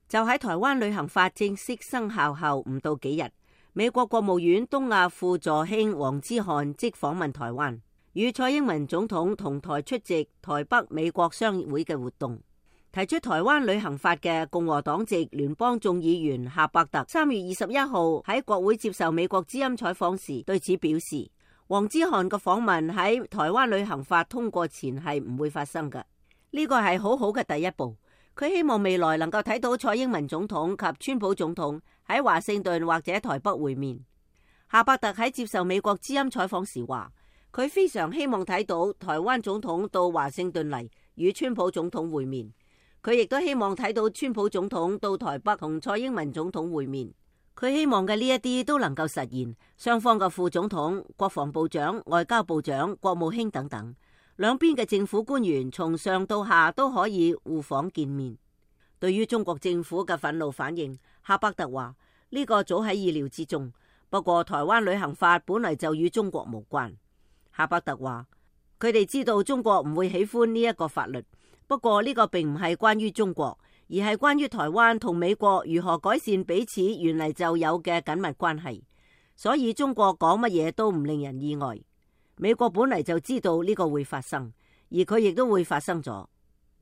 就喺台灣旅行法正式生效後唔到幾日，美國國務院東亞副助卿黃之翰即訪問台灣，與蔡英文總統同台出席台北美國商會嘅活動。提出台灣旅行法嘅共和黨籍聯邦眾議員夏伯特3月21號喺國會接受美國之音採訪時對此表示，黃之翰嘅訪問喺台灣旅行法通過前係唔會發生嘅，呢個係好好嘅第一步。佢希望未來能夠睇到蔡英文總統及川普總統喺華盛頓或者台北會面。夏伯特喺接受美國之音採訪時話，佢非常希望睇到台灣總統到華盛頓嚟與川普總統會面。佢亦都希望睇到川普總統到台北同蔡英文總統會面。佢希望嘅呢一啲都能夠實現，雙方嘅副總統、國防部長、外交部長、國務卿等等，兩邊嘅政府官員從上到下都可以互訪見面。對於中國政府嘅憤怒反應，夏伯特話呢個早喺意料之中，不過台灣旅行法本來就與中國無關。夏伯特話佢哋知道中國唔會喜歡呢一個法律。不過呢個並唔係關於中國，而係關於台灣同美國如何改善彼此原嚟就有嘅緊密關係。所以中國講乜嘢都唔令人意外。美國本嚟就知道呢個會發生，而佢亦都會發生咗，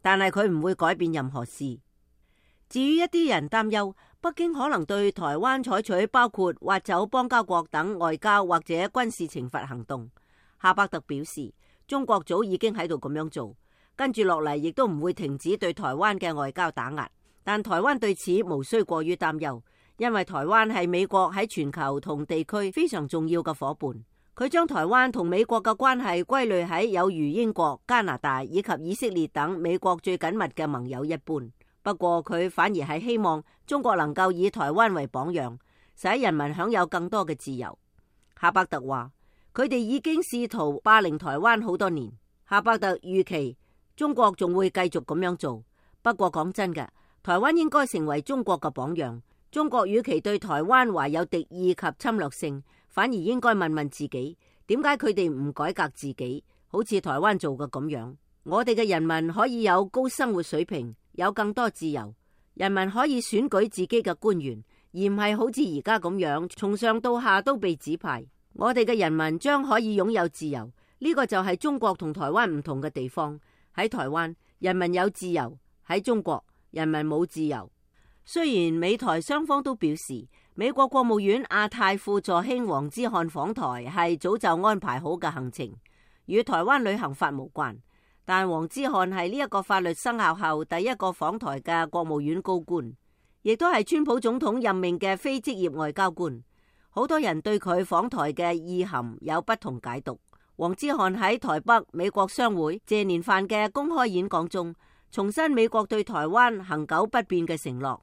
但係佢唔會改變任何事。至於一啲人擔憂北京可能對台灣採取包括挖走邦交國等外交或者軍事懲罰行動，夏伯特表示，中國早已經喺度咁樣做。跟住落嚟，亦都唔會停止對台灣嘅外交打壓，但台灣對此無需過於擔憂，因為台灣係美國喺全球同地區非常重要嘅夥伴。佢將台灣同美國嘅關係歸類喺有如英國、加拿大以及以色列等美國最緊密嘅盟友一般。不過佢反而係希望中國能夠以台灣為榜樣，使人民享有更多嘅自由。夏伯特話，佢哋已經試圖霸凌台灣好多年。夏伯特預期中國仲會繼續咁樣做，不過講真嘅，台灣應該成為中國嘅榜樣。中國與其對台灣懷有敵意及侵略性，反而應該問問自己，點解佢哋唔改革自己，好似台灣做嘅咁樣。我哋嘅人民可以有高生活水平，有更多自由，人民可以選舉自己嘅官員，而唔係好似而家咁樣，從上到下都被指派。我哋嘅人民將可以擁有自由，呢個就係中國同台灣唔同嘅地方。喺台灣，人民有自由；喺中國，人民冇自由。雖然美台雙方都表示，美國國務院亞太副助卿黃之翰訪台係早就安排好嘅行程，與台灣旅行法無關。但黃之翰係呢一個法律生效後第一個訪台嘅國務院高官，亦都係川普總統任命嘅非職業外交官。好多人對佢訪台嘅意涵有不同解讀。黃之翰喺台北美國商會謝年飯嘅公開演講中，重申美國對台灣恆久不變嘅承諾，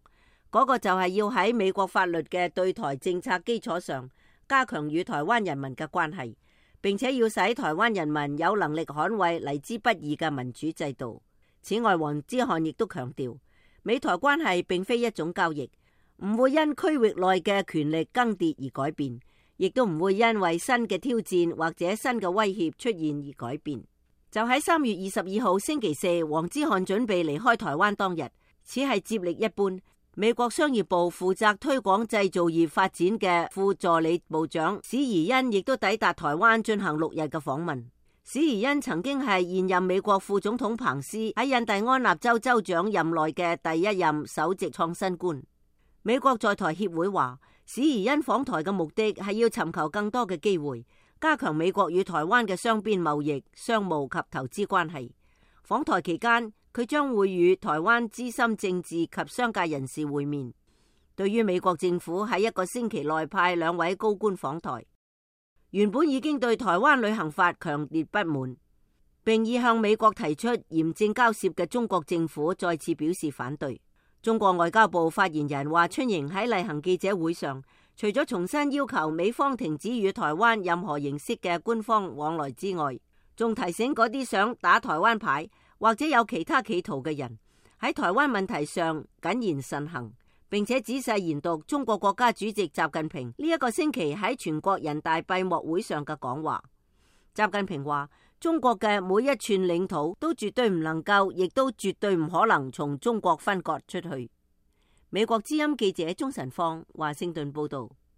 嗰個就係要喺美國法律嘅對台政策基礎上，加強與台灣人民嘅關係，並且要使台灣人民有能力捍衛嚟之不易嘅民主制度。此外，黃之翰亦都強調，美台關係並非一種交易，唔會因區域內嘅權力更迭而改變，亦都唔會因為新嘅挑戰或者新嘅威脅出現而改變。就喺3月22號星期四，黃之翰準備離開台灣當日，此係接力一般。美國商業部負責推廣製造業發展嘅副助理部長史宜恩亦都抵達台灣進行6日嘅訪問。史宜恩曾經係現任美國副總統彭斯喺印第安納州州長任內嘅第一任首席創新官。美國在台協會話，史宜恩訪台嘅目的係要尋求更多嘅機會，加強美國與台灣嘅雙邊貿易、商務及投資關係。訪台期間，佢將會與台灣資深政治及商界人士會面。對於美國政府喺1個星期內派2位高官訪台，原本已經對台灣旅行法強烈不滿，並已向美國提出嚴正交涉嘅中國政府再次表示反對。中國外交部發言人華春瑩喺例行記者會上，除咗重新要求美方停止與台灣任何形式嘅官方往來之外，仲提醒嗰啲想打台灣牌或者有其他企圖嘅人，喺台灣問題上謹言慎行，並且仔細研讀中國國家主席習近平呢1個星期喺全國人大閉幕會上嘅講話。習近平話，中國嘅每一寸領土都絕對唔能夠，亦都絕對唔可能從中國分割出去，美國之音記者鍾晨放華盛頓報道。